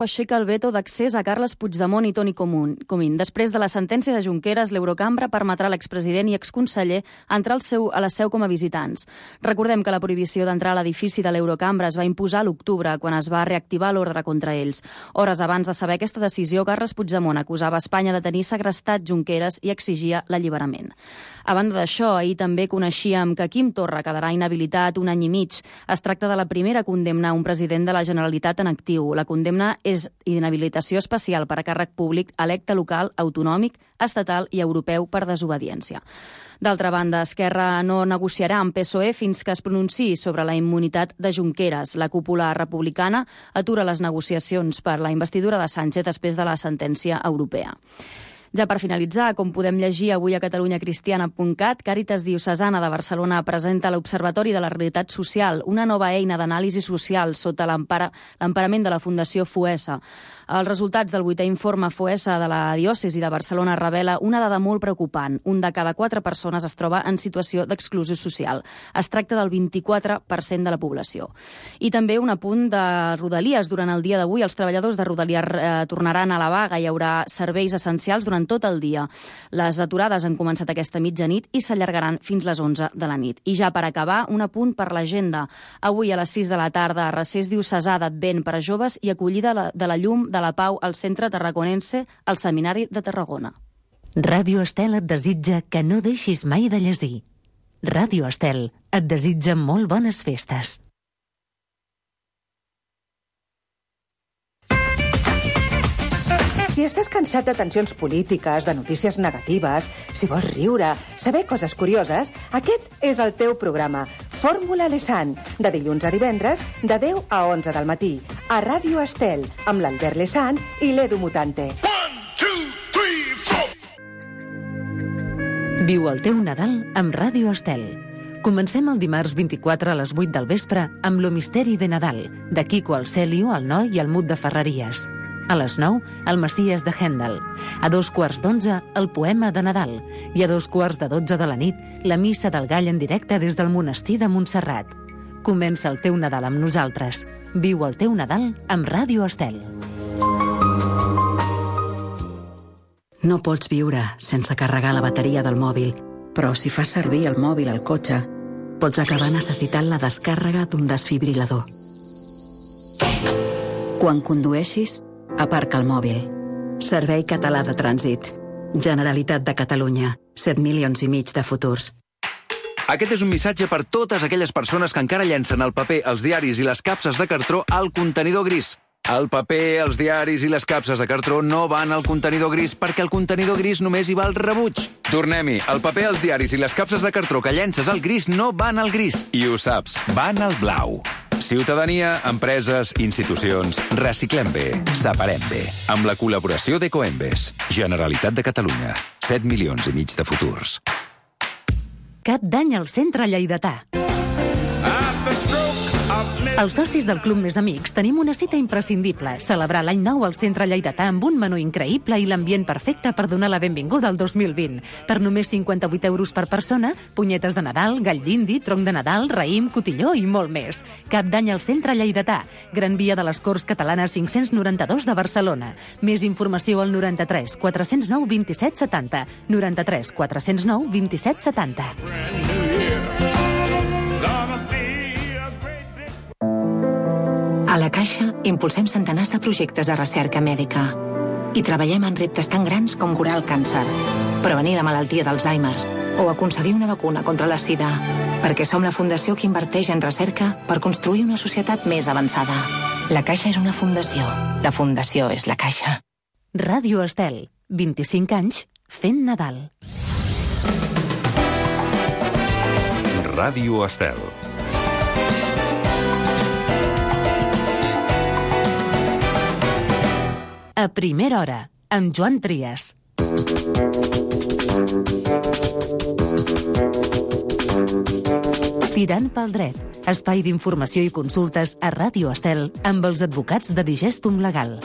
Aixeca el veto d'accés a Carles Puigdemont i Toni Comín. Després de la sentència de Junqueras, l'Eurocambra permetrà a l'expresident i exconseller entrar a la seu com a visitants. Recordem que la prohibició d'entrar a l'edifici de l'Eurocambra es va imposar a l'octubre, quan es va reactivar l'ordre contra ells. Hores abans de saber aquesta decisió, Carles Puigdemont acusava Espanya de tenir segrestat Junqueras i exigia l'alliberament. A banda d'això, ahir també coneixíem que Quim Torra quedarà inhabilitat un any i mig. Es tracta de la primera condemna a un president de la Generalitat en actiu. La condemna és inhabilitació especial per a càrrec públic electe local, autonòmic, estatal i europeu per desobediència. D'altra banda, Esquerra no negociarà amb PSOE fins que es pronunciï sobre la immunitat de Junqueras. La cúpula republicana atura les negociacions per la investidura de Sánchez després de la sentència europea. Ja per finalitzar, com podem llegir avui a catalunyacristiana.cat, Càritas Diocesana de Barcelona presenta l'Observatori de la Realitat Social, una nova eina d'anàlisi social sota l'emparament de la Fundació FOESA. Els resultats del 8è informe FOESA de la diòcesi de Barcelona revela una dada molt preocupant. Un de cada 4 persones es troba en situació d'exclusió social. Es tracta del 24% de la població. I també un apunt de Rodalies. Durant el dia d'avui, els treballadors de Rodalies tornaran a la vaga. Hi haurà serveis essencials durant tot el dia. Les aturades han començat aquesta mitjanit i s'allargaran fins les 11 de la nit. I ja per acabar, un apunt per l'agenda. Avui a les 6 de la tarda, recés diocesà d'Advent per a joves i acollida de la llum de la Pau al Centre Tarraconense al Seminari de Tarragona. Ràdio Estel et desitja que no deixis mai de llegir. Ràdio Estel et desitja molt bones festes. Si estàs cansat de tensions polítiques, de notícies negatives, si vols riure, saber coses curioses, aquest és el teu programa. Fórmula Lesan, de dilluns a divendres, de 10 a 11 del matí, a Ràdio Estel, amb l'Albert Lesan i l'Edu Mutante. 1, 2, 3, 4. Viu el teu Nadal amb Ràdio Estel. Comencem el dimarts 24 a les 8 del vespre amb Lo misteri de Nadal, de Quico el Celio, el Noi i el Mut de Ferreries. A les 9, el Messies de Händel. A 2:15, el Poema de Nadal. I a 2:12 de la nit, la Missa del Gall en directe des del monestir de Montserrat. Comença el teu Nadal amb nosaltres. Viu el teu Nadal amb Ràdio Estel. No pots viure sense carregar la bateria del mòbil, però si fas servir el mòbil al cotxe, pots acabar necessitant la descàrrega d'un desfibrilador. Quan condueixis, aparca el mòbil. Servei Català de Trànsit. Generalitat de Catalunya. 7 milions i mig de futurs. Aquest és un missatge per totes aquelles persones que encara llencen el paper, els diaris i les capses de cartró al contenidor gris. El paper, els diaris i les capses de cartró no van al contenidor gris perquè el contenidor gris només hi va al rebuig. Tornem-hi. El paper, els diaris i les capses de cartró que llences al gris no van al gris. I ho saps, van al blau. Ciutadania, empreses, institucions, reciclem bé, separem bé. Amb la col·laboració d'Ecoembes. Generalitat de Catalunya. 7 milions i mig de futurs. Cap d'any al Centre Lleidatà. Els socis del Club Més Amics tenim una cita imprescindible, celebrar l'any nou al Centre Lleidatà amb un menú increïble i l'ambient perfecte per donar la benvinguda al 2020. Per només 58 euros per persona, punyetes de Nadal, gall d'indi, tronc de Nadal, raïm, cotilló i molt més. Cap d'any al Centre Lleidatà, Gran Via de les Corts Catalanes 592 de Barcelona. Més informació al 93 409 27 70, 93 409 27 70. A la Caixa impulsem centenars de projectes de recerca mèdica i treballem en reptes tan grans com curar el càncer, prevenir la malaltia d'Alzheimer o aconseguir una vacuna contra la sida, perquè som la fundació que inverteix en recerca per construir una societat més avançada. La Caixa és una fundació. La fundació és la Caixa. Ràdio Estel, 25 anys fent Nadal. Ràdio Estel. A primera hora, amb Joan Trias. Tirant pel dret, espai d'informació i consultes a Ràdio Estel amb els advocats de Digestum Legal.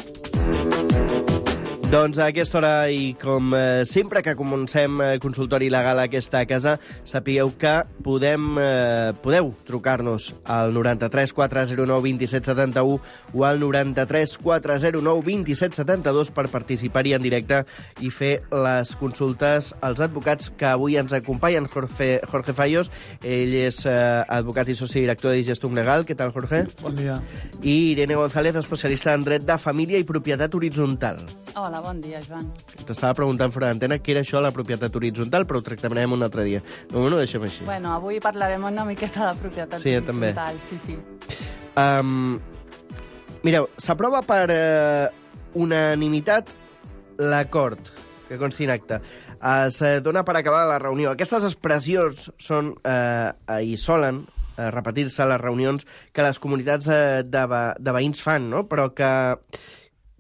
Doncs a aquesta hora, i com sempre que comencem consultori legal a aquesta casa, sapigueu que podeu trucar-nos al 93 409 27 71 o al 93 409 27 72 per participar-hi en directe i fer les consultes als advocats que avui ens acompanyen. Jorge Fallos, ell és advocat i soci director de Gestum Legal. Què tal, Jorge? Bon dia. I Irene González, especialista en dret de família i propietat horitzontal. Hola, bon dia, Joan. T'estava preguntant fora d'antena què era això, la propietat horitzontal, però ho tractarem un altre dia. De moment ho deixem així. Bueno, avui parlarem una miqueta de propietat horitzontal. Sí. Mireu, s'aprova per unanimitat l'acord que consti en acte. Es dona per acabada la reunió. Aquestes expressions són i solen repetir-se a les reunions que les comunitats de veïns fan, no? Però que...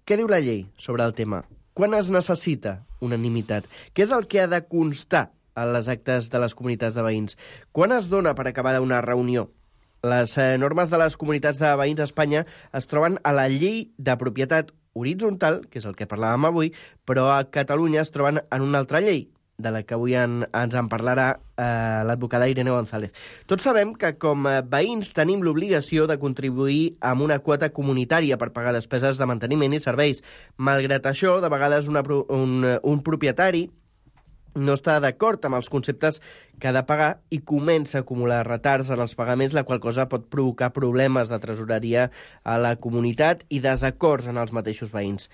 Què diu la llei sobre el tema? Quan es necessita unanimitat? Què és el que ha de constar en les actes de les comunitats de veïns? Quan es dona per acabada una reunió? Les normes de les comunitats de veïns a Espanya es troben a la llei de propietat horitzontal, que és el que parlàvem avui, però a Catalunya es troben en una altra llei, de la que avui ens en parlarà l'advocada Irene González. Tots sabem que com a veïns tenim l'obligació de contribuir amb una quota comunitària per pagar despeses de manteniment i serveis. Malgrat això, de vegades un propietari no està d'acord amb els conceptes que ha de pagar i comença a acumular retards en els pagaments, la qual cosa pot provocar problemes de tresoreria a la comunitat i desacords en els mateixos veïns.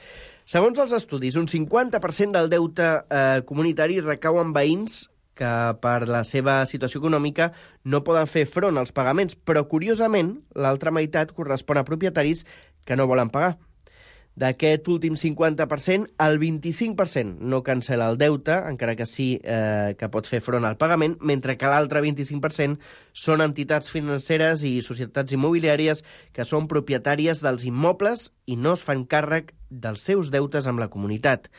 Segons els estudis, un 50% del deute comunitari recau en veïns que per la seva situació econòmica no poden fer front als pagaments, però curiosament l'altra meitat correspon a propietaris que no volen pagar. D'aquest últim 50%, el 25% no cancel·la el deute, encara que sí que pot fer front al pagament, mentre que l'altre 25% són entitats financeres i societats immobiliàries que són propietàries dels immobles i no es fan càrrec dels seus deutes amb la comunitat.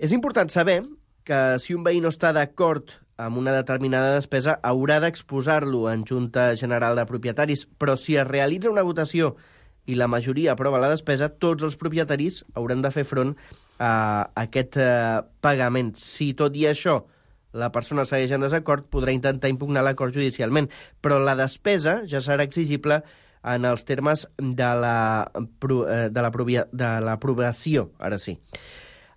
És important saber que si un veí no està d'acord amb una determinada despesa, haurà d'exposar-lo en Junta General de Propietaris, però si es realitza una votació i la majoria aprova la despesa, tots els propietaris hauran de fer front a aquest pagament. Si tot i això la persona segueix en desacord, podrà intentar impugnar l'acord judicialment, però la despesa ja serà exigible en els termes de l'aprovació, ara sí.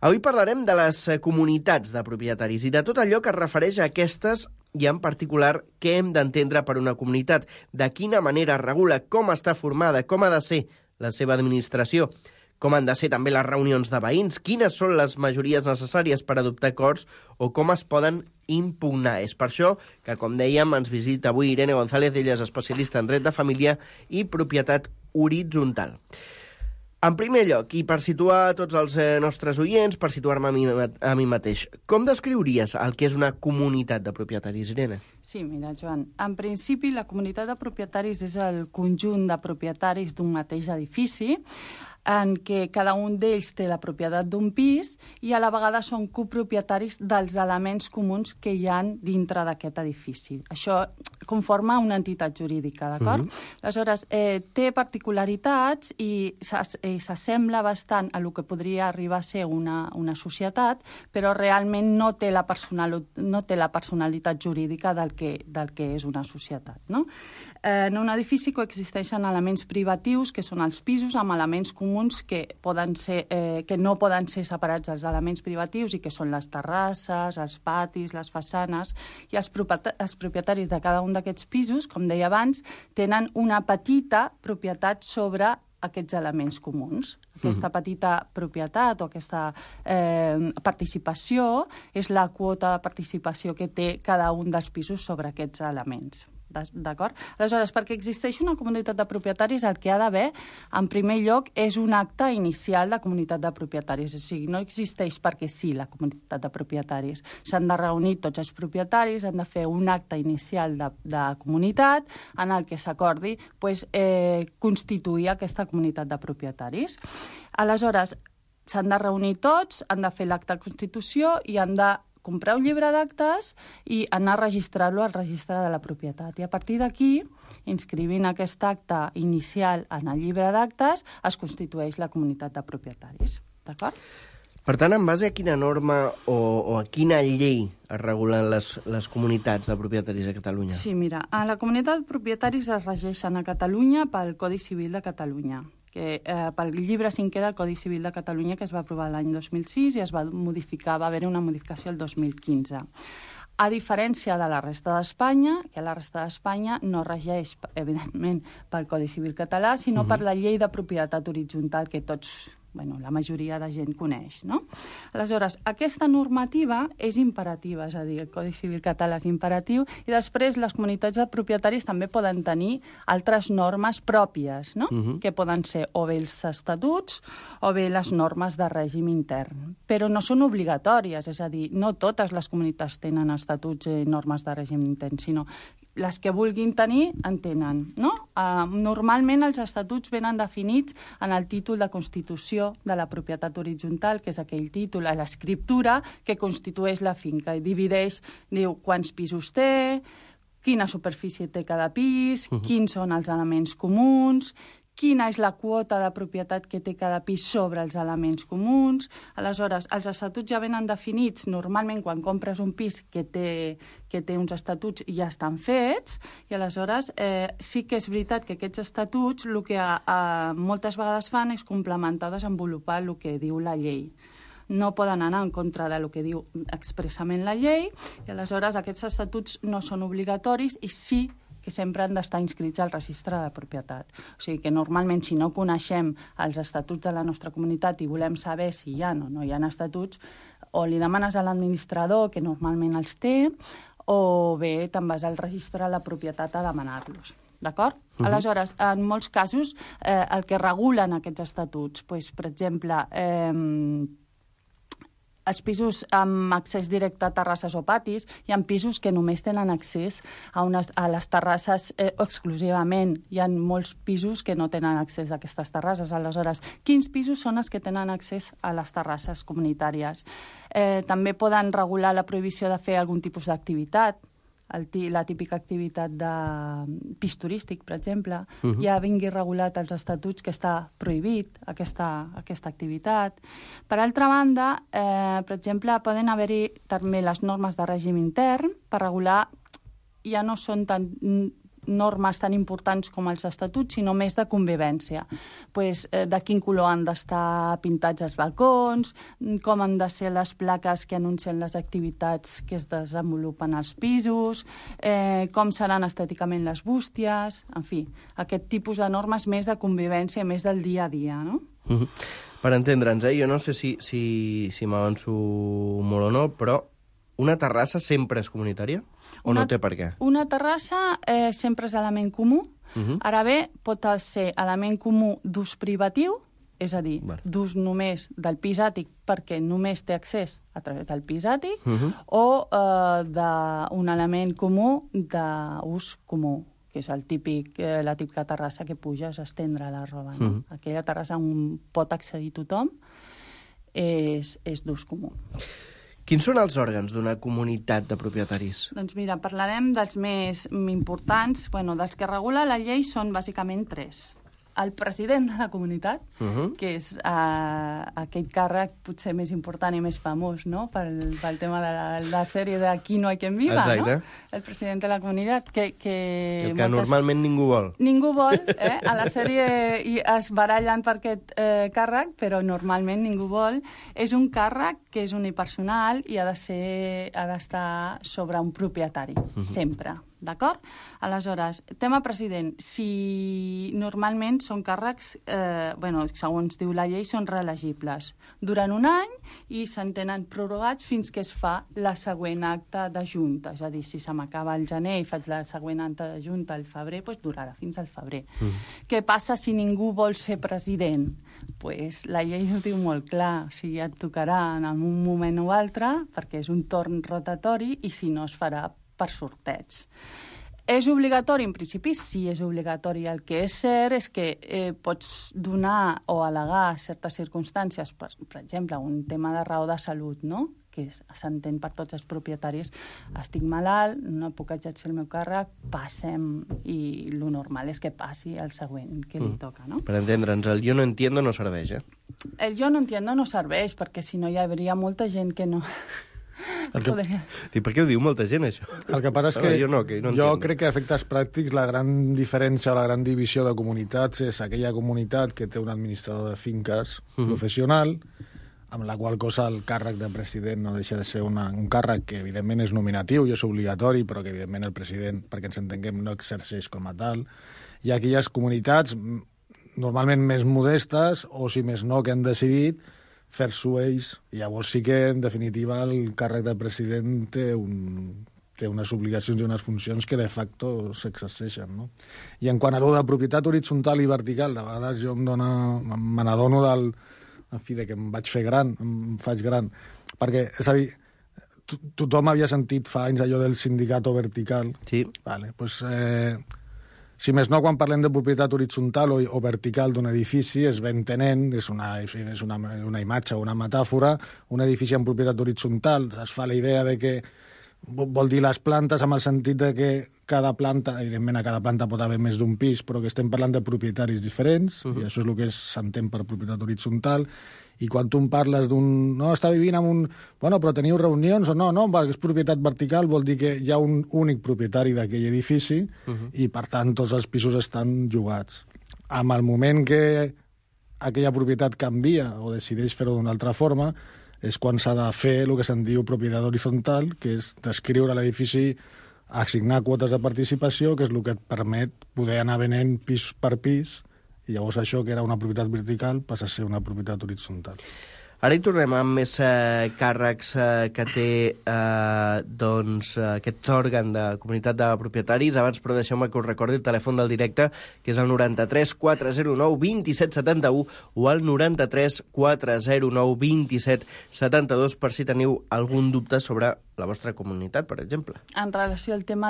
Avui parlarem de les comunitats de propietaris i de tot allò que es refereix a aquestes i en particular què hem d'entendre per una comunitat, de quina manera es regula, com està formada, com ha de ser la seva administració, com han de ser també les reunions de veïns, quines són les majories necessàries per adoptar acords o com es poden impugnar. És per això que, com dèiem, ens visita avui Irene González, ella és especialista en dret de família i propietat horitzontal. En primer lloc, i per situar tots els nostres oients, per situar-me a mi mateix, com descriuries el que és una comunitat de propietaris, Irene? Sí, mira, Joan, en principi la comunitat de propietaris és el conjunt de propietaris d'un mateix edifici en què cada un d'ells té la propietat d'un pis i a la vegada són copropietaris dels elements comuns que hi ha dintre d'aquest edifici. Això conforma una entitat jurídica, d'acord? Aleshores, té particularitats i s'assembla bastant a el que podria arribar a ser una societat, però realment no té la personalitat jurídica del que és una societat, no? En un edifici coexisteixen elements privatius, que són els pisos, amb elements comuns que no poden ser separats dels elements privatius i que són les terrasses, els patis, les façanes, i els propietaris de cada un d'aquests pisos, com deia abans, tenen una petita propietat sobre aquests elements comuns. Aquesta petita propietat o aquesta participació és la quota de participació que té cada un dels pisos sobre aquests elements. D'acord? Aleshores, perquè existeix una comunitat de propietaris, el que ha d'haver, en primer lloc, és un acte inicial de comunitat de propietaris. O sigui, no existeix perquè sí la comunitat de propietaris. S'han de reunir tots els propietaris, han de fer un acte inicial de comunitat en el que s'acordi constituir aquesta comunitat de propietaris. Aleshores, s'han de reunir tots, han de fer l'acte de constitució i han de comprar un llibre d'actes i anar a registrar-lo al registre de la propietat. I a partir d'aquí, inscrivint aquest acte inicial en el llibre d'actes, es constitueix la comunitat de propietaris. D'acord? Per tant, en base a quina norma o a quina llei es regulen les comunitats de propietaris a Catalunya? Sí, mira, a la comunitat de propietaris es regeixen a Catalunya pel Codi Civil de Catalunya, pel llibre 5è del Codi Civil de Catalunya, que es va aprovar l'any 2006 i es va modificar, va haver una modificació el 2015. A diferència de la resta d'Espanya, que la resta d'Espanya no regeix, evidentment, pel Codi Civil català, sinó per la llei de propietat horitzontal que tots, la majoria de gent coneix, no? Aleshores, aquesta normativa és imperativa, és a dir, el Codi Civil català és imperatiu, i després les comunitats de propietaris també poden tenir altres normes pròpies, no? Que poden ser o bé els estatuts o bé les normes de règim intern. Però no són obligatòries, és a dir, no totes les comunitats tenen estatuts i normes de règim intern, sinó les que vulguin tenir en tenen, no? Normalment els estatuts venen definits en el títol de Constitució de la propietat horitzontal, que és aquell títol, l'escriptura que constitueix la finca i divideix, diu quants pisos té, quina superfície té cada pis, quins són els elements comuns, quina és la quota de propietat que té cada pis sobre els elements comuns. Aleshores, els estatuts ja venen definits. Normalment, quan compres un pis que té uns estatuts ja estan fets, i aleshores sí que és veritat que aquests estatuts el que moltes vegades fan és complementar, desenvolupar el que diu la llei. No poden anar en contra del que diu expressament la llei, i aleshores aquests estatuts no són obligatoris i sí que sempre han d'estar inscrits al registre de propietat. O sigui que normalment, si no coneixem els estatuts de la nostra comunitat i volem saber si hi ha o no hi ha estatuts, o li demanes a l'administrador, que normalment els té, o bé te'n vas al registre de la propietat a demanar-los. D'acord? Aleshores, en molts casos, el que regulen aquests estatuts, per exemple, els pisos amb accés directe a terrasses o patis, hi ha pisos que només tenen accés a les terrasses exclusivament. Hi ha molts pisos que no tenen accés a aquestes terrasses. Aleshores, quins pisos són els que tenen accés a les terrasses comunitàries? També poden regular la prohibició de fer algun tipus d'activitat, la típica activitat de pis turístic, per exemple. Ja vingui regulat als estatuts que està prohibit aquesta activitat. Per altra banda, per exemple, poden haver-hi també les normes de règim intern per regular, ja no són normes tan importants com els estatuts, sinó més de convivència. De quin color han d'estar pintats els balcons, com han de ser les plaques que anuncien les activitats que es desenvolupen als pisos, com seran estèticament les bústies, en fi, aquest tipus de normes més de convivència, més del dia a dia, no? Per entendre'ns, jo no sé si m'avanço molt o no, però una terrassa sempre és comunitària? O no té per què? Una terrassa sempre és element comú. Ara bé, pot ser element comú d'ús privatiu, és a dir, d'ús només del pis àtic perquè només té accés a través del pis àtic, o d'un element comú d'ús comú, que és la típica terrassa que puges a estendre la roba. Aquella terrassa on pot accedir tothom és d'ús comú. Quins són els òrgans d'una comunitat de propietaris? Doncs mira, parlarem dels més importants. Dels que regula la llei són bàsicament 3. El president de la comunitat, que és aquell càrrec potser més important i més famós, no?, pel tema de la sèrie de Aquí no hay quien viva, no? El president de la comunitat, que normalment ningú vol. Ningú vol, a la sèrie es barallen per aquest càrrec, però normalment ningú vol. És un càrrec que és unipersonal i ha d'estar sobre un propietari, sempre. D'acord? Aleshores, tema president. Si normalment són càrrecs, segons diu la llei, són reelegibles durant un any i s'entenen prorrogats fins que es fa la següent acta de junta. És a dir, si se m'acaba el gener i faig la següent acta de junta al febrer, doncs durarà fins al febrer. Què passa si ningú vol ser president? La llei ho diu molt clar. O sigui, et tocarà en un moment o altre, perquè és un torn rotatori, i si no es farà per sorteig. És obligatori? En principi sí, és obligatori. El que és cert és que pots donar o al·legar certes circumstàncies, per exemple, un tema de raó de salut, no?, que s'entén per tots els propietaris. Estic malalt, no puc exercir el meu càrrec, passem, i el normal és que passi el següent que li toca, no? Per entendre'ns, el jo no entiendo no serveix, El jo no entiendo no serveix, perquè si no hi hauria molta gent que no... Per què ho diu molta gent, això? El que passa és que jo crec que a efectes pràctics la gran diferència o la gran divisió de comunitats és aquella comunitat que té un administrador de finques professional, amb la qual cosa el càrrec de president no deixa de ser un càrrec que evidentment és nominatiu i és obligatori, però que evidentment el president, perquè ens entenguem, no exerceix com a tal. Hi ha aquelles comunitats normalment més modestes, o si més no, que han decidit fer-s'ho ells. I llavors sí que, en definitiva, el càrrec de president té unes obligacions i unes funcions que de facto s'exerceixen, no? I en quant a allò de propietat horitzontal i vertical, de vegades jo me n'adono del... En fi, que em faig gran. Perquè, és a dir, tothom havia sentit fa anys allò del sindicato vertical. Sí. Vale, pues, si més no, quan parlem de propietat horitzontal o vertical d'un edifici, es va entenent, és una imatge o una metàfora, un edifici en propietat horitzontal, es fa la idea de que vol dir les plantes amb el sentit de que cada planta, evidentment a cada planta pot haver més d'un pis, però que estem parlant de propietaris diferents, i això és el que s'entén per propietat horitzontal, i quan tu em parles d'un... No, està vivint en un... Bueno, però teniu reunions o no? No, és propietat vertical, vol dir que hi ha un únic propietari d'aquell edifici i, per tant, tots els pisos estan llogats. Amb el moment que aquella propietat canvia o decideix fer-ho d'una altra forma, és quan s'ha de fer el que se'n diu propietat horitzontal, que és descriure l'edifici, assignar quotes de participació, que és el que et permet poder anar venent pis per pis, i llavors això, que era una propietat vertical, passa a ser una propietat horitzontal. Ara hi tornem amb més càrrecs que té aquest òrgan de comunitat de propietaris. Abans, però, deixeu-me que us recordi el telèfon del directe, que és el 93 409 27 71 o el 93 409 27 72, per si teniu algun dubte sobre la vostra comunitat, per exemple. En relació al tema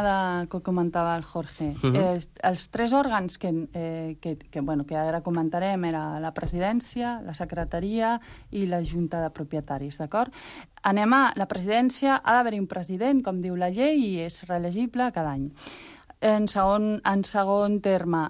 que comentava el Jorge, els tres òrgans que ara comentarem era la presidència, la secretaria i la junta de propietaris, d'acord? La presidència ha d'haver-hi un president, com diu la llei, i és reelegible cada any. En segon terme,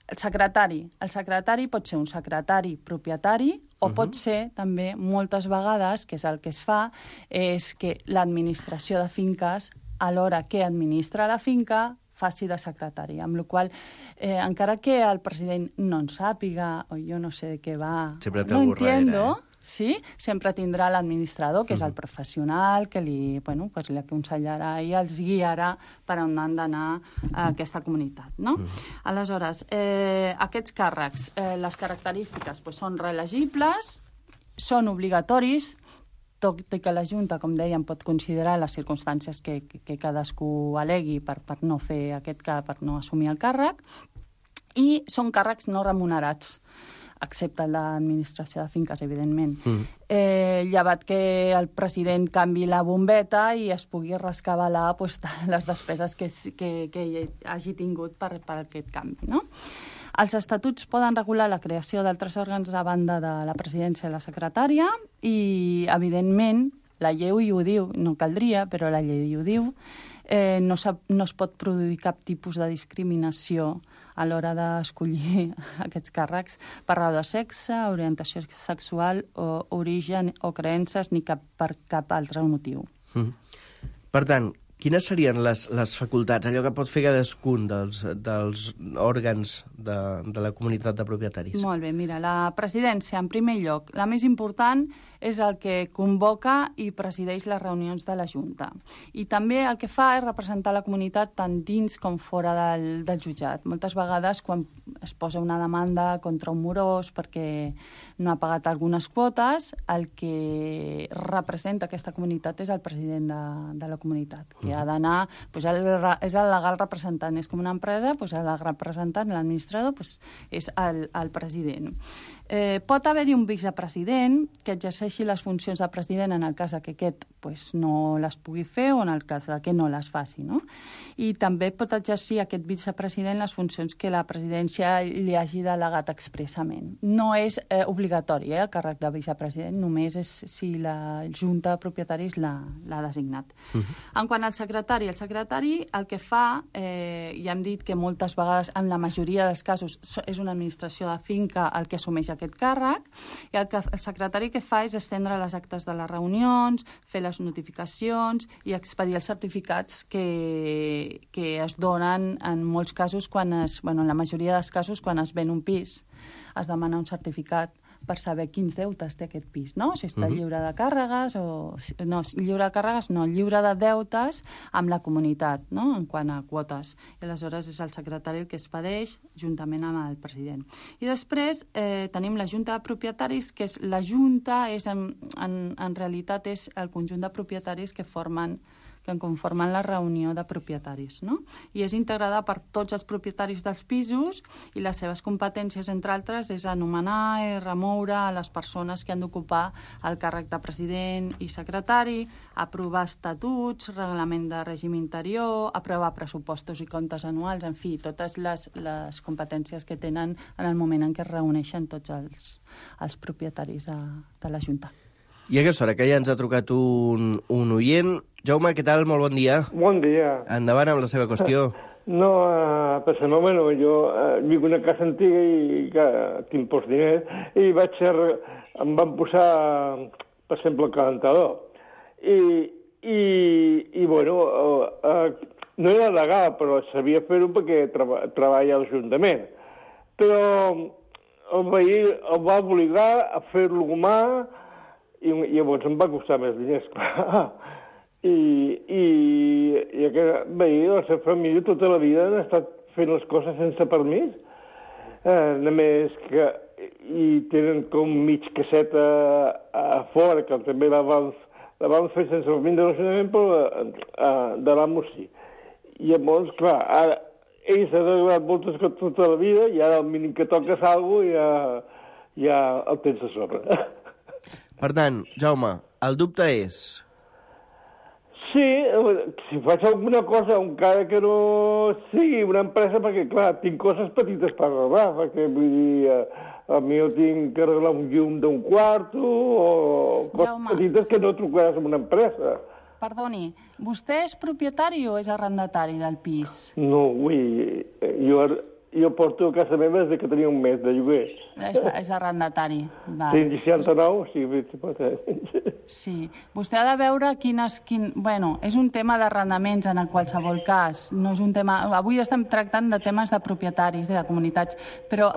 el secretari pot ser un secretari propietari o pot ser també, moltes vegades, que és el que es fa, és que l'administració de finques, a l'hora que administra la finca, faci de secretari, amb la qual encara que el president no en sàpiga, o jo no sé de què va, no entiendo, sí, sempre tindrà l'administrador, que és el professional, que li aconsellarà i els guiarà per on han d'anar a aquesta comunitat, no? Aleshores, aquests càrrecs, les característiques són reelegibles, són obligatoris, tot i que la Junta, com dèiem, pot considerar les circumstàncies que cadascú al·legui per no fer per no assumir el càrrec, i són càrrecs no remunerats, excepte l'administració de finques, evidentment. Llevat que el president canvi la bombeta i es pugui rescabalar les despeses que hagi tingut per aquest canvi, no? Els estatuts poden regular la creació d'altres òrgans a banda de la presidència i la secretària i, evidentment, la llei ho diu, no caldria, però la llei ho diu, no es pot produir cap tipus de discriminació a l'hora d'escollir aquests càrrecs per raó de sexe, orientació sexual, o origen o creences, ni per cap altre motiu. Per tant, quines serien les facultats, allò que pot fer cadascun dels òrgans de la comunitat de propietaris? Molt bé, mira, la presidència, en primer lloc, la més important és el que convoca i presideix les reunions de la Junta. I també el que fa és representar la comunitat tant dins com fora del jutjat. Moltes vegades, quan es posa una demanda contra un morós perquè no ha pagat algunes quotes, el que representa aquesta comunitat és el president de la comunitat, que ha d'anar, és el legal representant. És com una empresa, el representant, l'administrador, és el president. Pot haver-hi un vicepresident que exerceixi les funcions de president en el cas que aquest no les pugui fer o en el cas que no les faci, no? I també pot exercir aquest vicepresident les funcions que la presidència li hagi delegat expressament. No és obligatori, el càrrec de vicepresident, només és si la Junta de Propietaris l'ha designat. En quant al secretari, el que fa, ja hem dit que moltes vegades, en la majoria dels casos, és una administració de finca el que assumeix aquest càrrec, i el secretari que fa és estendre les actes de les reunions, fer les notificacions i expedir els certificats que es donen en molts casos, en la majoria dels casos, quan es ven un pis, es demana un certificat per saber quins deutes té aquest pis, no? Si està lliure de càrregues o... No, lliure de càrregues no, lliure de deutes amb la comunitat, no?, en quant a quotes. I aleshores és el secretari el que es expedeix juntament amb el president. I després tenim la Junta de Propietaris, que és la Junta, en realitat és el conjunt de propietaris que conformen la reunió de propietaris, no? I és integrada per tots els propietaris dels pisos i les seves competències, entre altres, és anomenar i remoure a les persones que han d'ocupar el càrrec de president i secretari, aprovar estatuts, reglament de règim interior, aprovar pressupostos i comptes anuals, en fi, totes les competències que tenen en el moment en què es reuneixen tots els propietaris de la Junta. I a aquesta hora, que ja ens ha trucat un oient. Jaume, què tal? Molt bon dia. Bon dia. Endavant amb la seva qüestió. No, pensament, bueno, jo vic en una casa antiga i que tinc pocs diners i em van posar, per exemple, el calentador. I bueno, no era legal, però sabia fer-ho perquè treballa a l'Ajuntament. Però el veí el va obligar a fer-lo humà i llavors em va costar més diners, clar. I aquest veí, la seva família, tota la vida han estat fent les coses sense permís. Només que tenen com mig caseta a fora, que també la van fer sense permís de l'Ajuntament, però de l'amo sí. I llavors, clar, ara ells han arreglat moltes coses tota la vida i ara al mínim que toques alguna cosa ja el tens a sobre. Per tant, Jaume, el dubte és... Sí, si faig alguna cosa, encara que no sigui una empresa, perquè, clar, tinc coses petites per arreglar, perquè, vull dir, a mi jo tinc que arreglar un llum d'un quarto o coses petites que no trucaràs en una empresa. Perdoni, vostè és propietari o és arrendatari del pis? No, jo porto a casa meva des que tenia un mes de lloguer. És arrendatari. Tinc 69, o sigui... Sí. Vostè ha de veure Bueno, és un tema d'arrendaments en qualsevol cas. No és un tema... Avui estem tractant de temes de propietaris, de comunitats, però...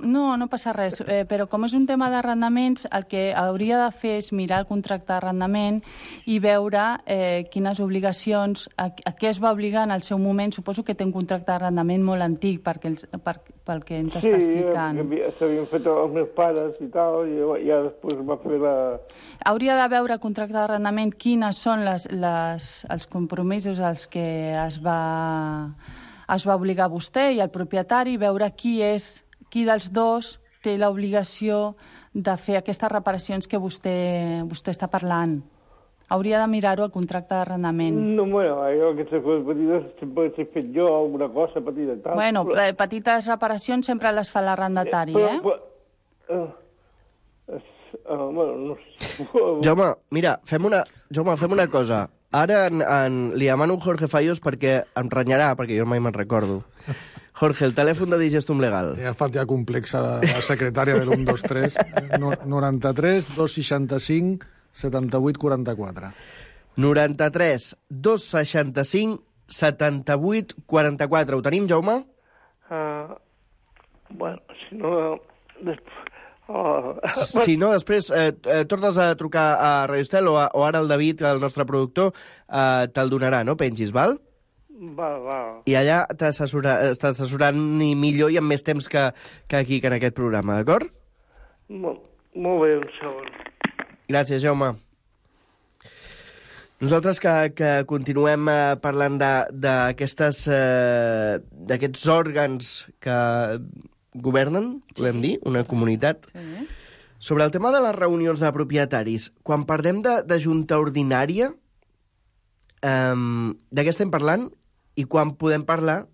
No passa res. Però com és un tema d'arrendaments, el que hauria de fer és mirar el contracte d'arrendament i veure quines obligacions, a què es va obligar en el seu moment. Suposo que té un contracte d'arrendament molt antic, pel que ens està explicant. Sí, s'havien fet els meus pares i tal, i ja després va fer la... Hauria de veure el contracte d'arrendament quines són els compromisos als que es va obligar vostè i el propietari, veure qui dels dos té l'obligació de fer aquestes reparacions que vostè està parlant. Hauria de mirar-ho al contracte d'arrendament. No, bueno, aquestes coses petites sempre he fet jo, alguna cosa petita i tal. Bueno, petites reparacions sempre les fa l'arrendatari, Bueno, no sé. Jaume, mira, fem una cosa. Ara li demano un Jorge Fallos perquè em renyarà, perquè jo mai me'n recordo. Jorge, el telèfon de Digestum Legal. Ja fa ja complexa la secretària del 123, 93 265 78 44. 93 265 78 44. Ho tenim, Jaume? Bueno, si no... Si no, després tornes a trucar a Radio Estel o ara el David, el nostre productor, te'l donarà, no? Pengis, val? Val. I allà t'assessoran millor i amb més temps que aquí, que en aquest programa, d'acord? Molt bé, un segon. Gràcies, Jaume. Nosaltres que continuem parlant d'aquests òrgans que governen, podem dir, una comunitat. Sobre el tema de les reunions de propietaris, quan parlem de junta ordinària, de què estem parlant i quan podem parlar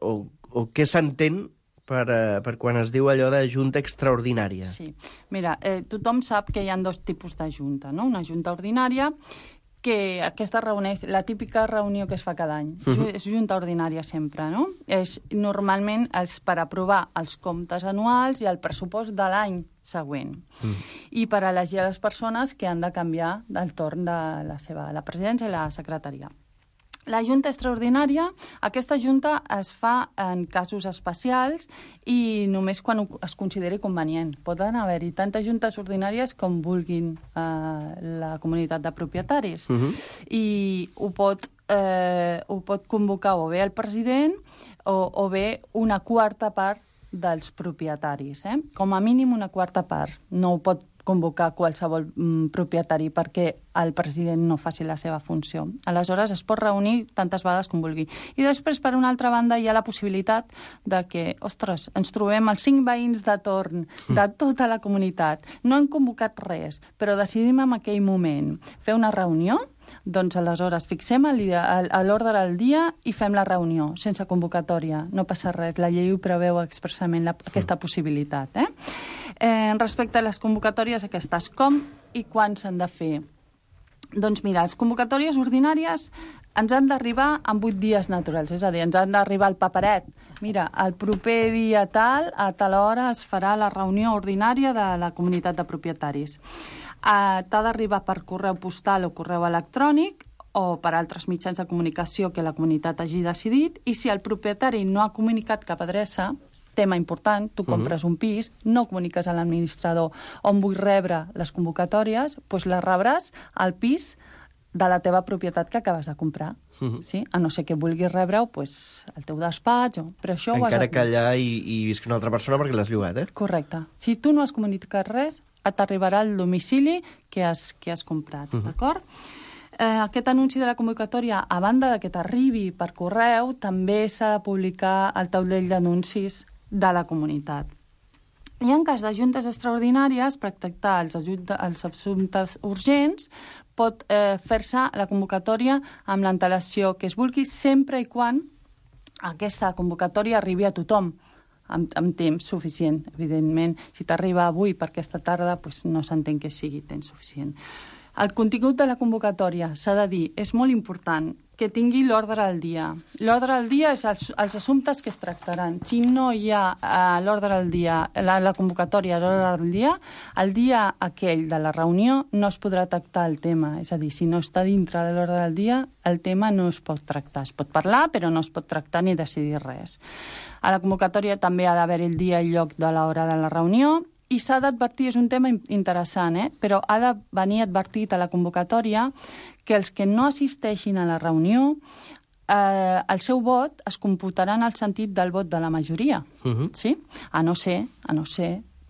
o què s'entén per quan es diu allò de junta extraordinària? Sí. Mira, tothom sap que hi ha dos tipus de junta, no? Una junta ordinària, que aquesta reuneix, la típica reunió que es fa cada any. És junta ordinària sempre, no? Normalment és per aprovar els comptes anuals i el pressupost de l'any següent. I per elegir a les persones que han de canviar del torn de la presidència i la secretaria. La junta extraordinària, aquesta junta es fa en casos especials i només quan es consideri convenient. Poden haver-hi tantes juntes ordinàries com vulguin la comunitat de propietaris. I ho pot convocar o bé el president o bé una quarta part dels propietaris. Com a mínim una quarta part. No ho pot convocar qualsevol propietari perquè el president no faci la seva funció. Aleshores, es pot reunir tantes vegades com vulgui. I després, per una altra banda, hi ha la possibilitat de que, ostres, ens trobem els 5 veïns de torn de tota la comunitat. No han convocat res, però decidim en aquell moment fer una reunió. Doncs aleshores fixem l'ordre del dia i fem la reunió, sense convocatòria. No passa res, la llei ho preveu expressament aquesta possibilitat. Respecte a les convocatòries aquestes, com i quan s'han de fer? Doncs mira, les convocatòries ordinàries ens han d'arribar en 8 dies naturals, és a dir, ens han d'arribar el paperet. Mira, el proper dia tal, a tal hora es farà la reunió ordinària de la comunitat de propietaris. T'ha d'arribar per correu postal o correu electrònic o per altres mitjans de comunicació que la comunitat hagi decidit, i si el propietari no ha comunicat cap adreça, tema important, tu compres un pis, no comuniques a l'administrador on vull rebre les convocatòries, doncs les rebràs al pis de la teva propietat que acabes de comprar. Sí? A no ser que vulguis rebre-ho al teu despatx. Però això encara que allà hi visqui una altra persona perquè l'has llogat, Correcte. Si tu no has comunicat res, t'arribarà al domicili que has comprat, d'acord? Aquest anunci de la convocatòria, a banda de que t'arribi per correu, també s'ha de publicar al taulell d'anuncis de la comunitat. I en cas de juntes extraordinàries, per tractar els assumptes urgents, pot fer-se la convocatòria amb l'antelació que es vulgui, sempre i quan aquesta convocatòria arribi a tothom, amb temps suficient. Evidentment, si t'arriba avui per aquesta tarda, no s'entén que sigui temps suficient. El contingut de la convocatòria, s'ha de dir, és molt important que tingui l'ordre del dia. L'ordre del dia és els assumptes que es tractaran. Si no hi ha l'ordre del dia, la convocatòria a l'ordre del dia, el dia aquell de la reunió no es podrà tractar el tema. És a dir, si no està dintre de l'ordre del dia, el tema no es pot tractar. Es pot parlar, però no es pot tractar ni decidir res. A la convocatòria també ha d'haver el dia i lloc de l'hora de la reunió, i s'ha d'advertir, és un tema interessant, però ha de venir advertit a la convocatòria que els que no assisteixin a la reunió, el seu vot es computarà en el sentit del vot de la majoria. Sí? A no ser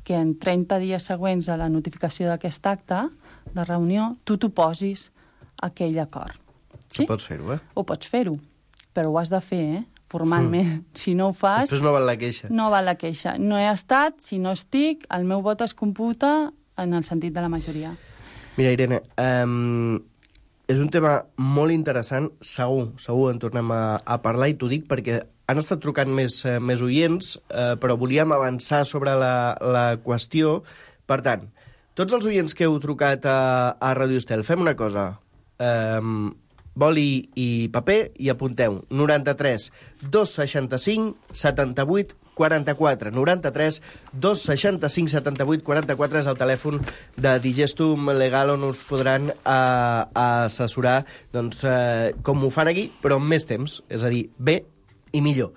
que en 30 dies següents a la notificació d'aquest acte de reunió tu t'oposis a aquell acord. Sí? Pots fer-ho, Ho pots fer-ho, però ho has de fer, formalment. Si no ho fas... Després no val la queixa. No val la queixa. No he estat, si no estic, el meu vot es computa en el sentit de la majoria. Mira, Irene, és un tema molt interessant, segur en tornem a parlar, i t'ho dic perquè han estat trucant més oients, però volíem avançar sobre la qüestió. Per tant, tots els oients que heu trucat a Radio Estel, fem una cosa... boli i paper i apunteu 93 265 78 44 93 265 78 44 és el telèfon de Digestum Legal on us podran assessorar com ho fan aquí, però amb més temps, és a dir, bé i millor.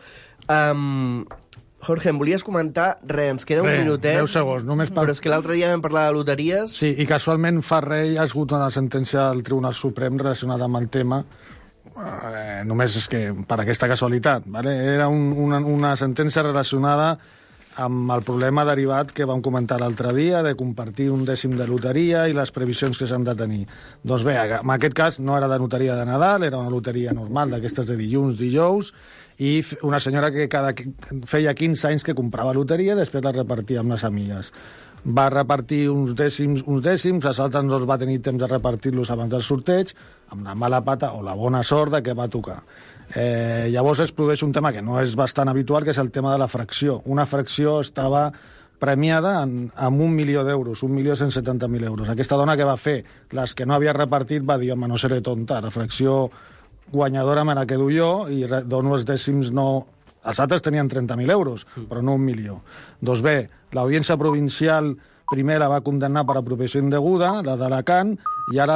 Jorge, em volies comentar? Ens queda un minutet. 10 segons, només per... Però és que l'altre dia vam parlar de loteries... Sí, i casualment fa res hi ha hagut una sentència del Tribunal Suprem relacionada amb el tema. Només és que per aquesta casualitat. ¿vale? Era una sentència relacionada amb el problema derivat que vam comentar l'altre dia de compartir un dècim de loteria i les previsions que s'han de tenir. Doncs bé, en aquest cas no era de loteria de Nadal, era una loteria normal d'aquestes de dilluns, dijous, i una senyora que feia 15 anys que comprava loteria i després la repartia amb les amigues. va repartir uns dècims, els altres no es va tenir temps de repartir-los abans del sorteig, amb la mala pata o la bona sort de que va tocar. Llavors es produeix un tema que no és bastant habitual, que és el tema de la fracció. Una fracció estava premiada amb 1 milió d'euros, 1.170.000 euros. Aquesta dona que va fer, les que no havia repartit, va dir, home, no seré tonta, la fracció guanyadora me la quedo jo i dono els dècims no... Els altres tenien 30.000 euros, però no 1 milió. Doncs bé, l'Audiència Provincial primer la va condemnar per apropiació indeguda, la d'Alacant, i ara